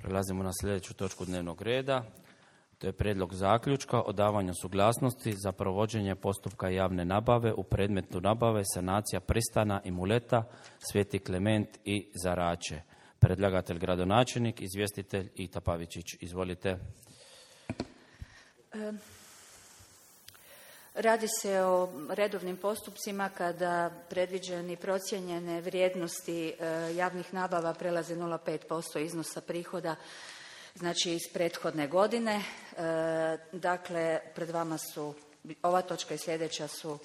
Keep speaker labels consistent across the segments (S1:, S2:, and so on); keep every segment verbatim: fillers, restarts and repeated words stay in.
S1: Prelazimo na sljedeću točku dnevnog reda. To je prijedlog zaključka o davanju suglasnosti za provođenje postupka javne nabave u predmetu nabave sanacija pristana i muleta Sveti Klement i Zarače. Predlagatelj gradonačelnik, izvjestitelj Ita Pavičić. Izvolite.
S2: E, radi se o redovnim postupcima kada predviđeni procijenjene vrijednosti e, javnih nabava prelaze nula zarez pet posto iznosa prihoda, znači iz prethodne godine. E, dakle, pred vama su ova točka i sljedeća su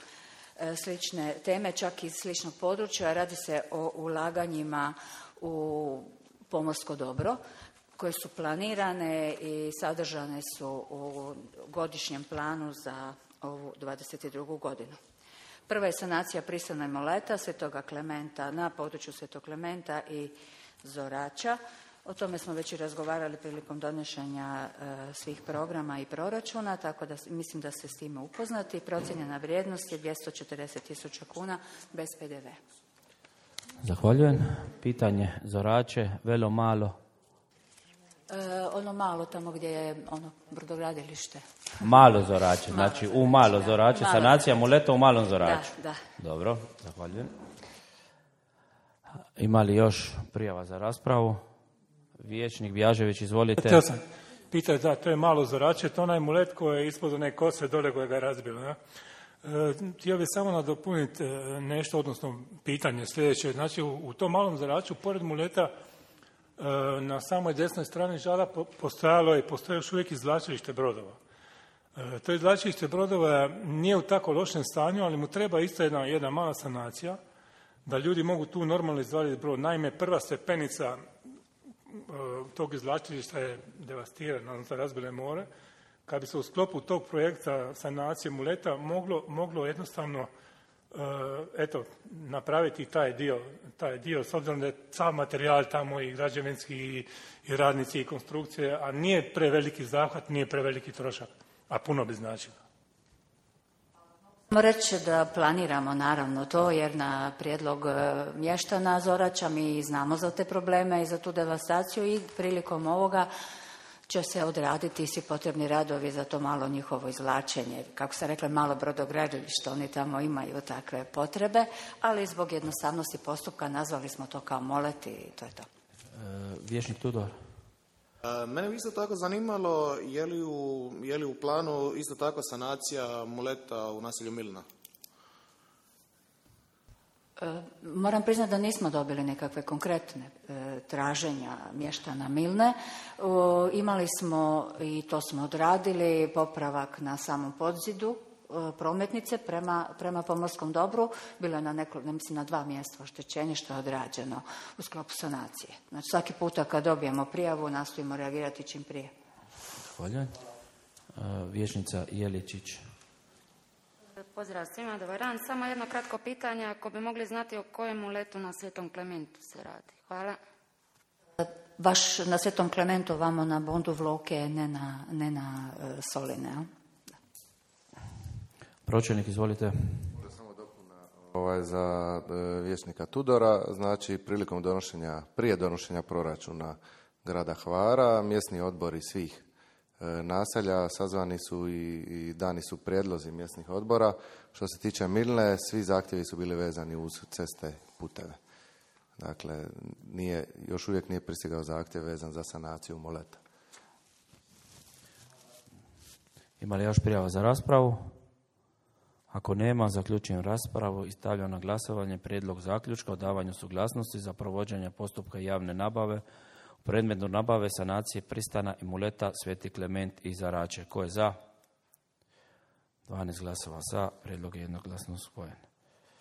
S2: e, slične teme, čak iz sličnog područja. Radi se o ulaganjima u pomorsko dobro koje su planirane i sadržane su u godišnjem planu za ovu dvadeset drugu godinu. Prva je sanacija pristana i muleta Svetoga Klementa na području Svetog Klementa i Zorača. O tome smo već i razgovarali prilikom donošenja e, svih programa i proračuna, tako da mislim da ste s time upoznati. Procijenjena vrijednost je dvjesto četrdeset tisuća kuna bez pe de ve.
S1: Zahvaljujem. Pitanje Zorače, velo malo.
S2: E, ono malo tamo gdje je ono brodogradilište.
S1: Malo Zorače, znači u malo Zorače, sanacija muleta u malom Zoraču.
S2: Da, da.
S1: Dobro, zahvaljujem. Ima li još prijava za raspravu? Vijećnik Bjažević, izvolite.
S3: Htio sam pitati, da, to je malo Zorače, to onaj mulet koji je ispod one kose dole koje ga je razbilo. Ja? E, htio bih samo nadopuniti nešto, odnosno pitanje sljedeće. Znači, u, u tom malom Zoraču, pored muleta, e, na samoj desnoj strani žala postojalo je, postoje još uvijek izvlačilište brodova. E, to izvlačilište brodova nije u tako lošem stanju, ali mu treba isto jedna, jedna mala sanacija, da ljudi mogu tu normalno izvaliti brod. Naime, prva stepenica tog izvlačilišta je devastirana, odnosno razbilo je more. Kad bi se u sklopu tog projekta sanacije muleta moglo, moglo jednostavno eto, napraviti taj dio, taj dio, s obzirom da je sav materijal tamo i građevinski i, i radnici i konstrukcije, a nije preveliki zahvat, nije preveliki trošak, a puno bi značilo.
S2: Moram reći da planiramo naravno to, jer na prijedlog mještana Zorača mi znamo za te probleme i za tu devastaciju i prilikom ovoga će se odraditi svi potrebni radovi za to malo njihovo izvlačenje. Kako sam rekla, malo brodogradilište, oni tamo imaju takve potrebe, ali zbog jednostavnosti postupka nazvali smo to kao molet i to je to.
S1: E, Vijećnik Tudor.
S4: Mene bi isto tako zanimalo je li, u, je li u planu isto tako sanacija muleta u naselju Milna?
S2: E, moram priznati da nismo dobili nekakve konkretne e, traženja mještana Milne. E, imali smo, i to smo odradili, popravak na samom podzidu prometnice prema, prema pomorskom dobru. Bilo je na neko, ne mislim, na dva mjesta oštećenje što je odrađeno u sklopu sanacije. Znači svaki puta kad dobijemo prijavu nastojimo reagirati čim prije.
S1: Zahvaljujem. Vijećnica Jeličić.
S5: Pozdrav svima, dobar dan. Samo jedno kratko pitanje, ako bi mogli znati o kojem muletu na Svetom Klementu se radi. Hvala.
S2: Baš na Svetom Klementu, vamo na Bondu Vloke, ne na, ne na uh, Soline, a?
S1: Pročelnik, izvolite.
S6: Samo dopuna ovaj, za vijećnika Tudora. Znači, prilikom donošenja, prije donošenja proračuna grada Hvara, mjesni odbori svih e, naselja sazvani su i, i dani su prijedlozi mjesnih odbora. Što se tiče Milne, svi zahtjevi su bili vezani uz ceste, puteve. Dakle, nije, još uvijek nije pristigao zahtjev vezan za sanaciju muleta.
S1: Ima li još prijava za raspravu? Ako nema, zaključujem raspravu i stavljam na glasovanje prijedlog zaključka o davanju suglasnosti za provođenje postupka javne nabave u predmetu nabave sanacije pristana i muleta Sveti Klement i Zarače. Ko je za? dvanaest glasova za, prijedlog je jednoglasno usvojen.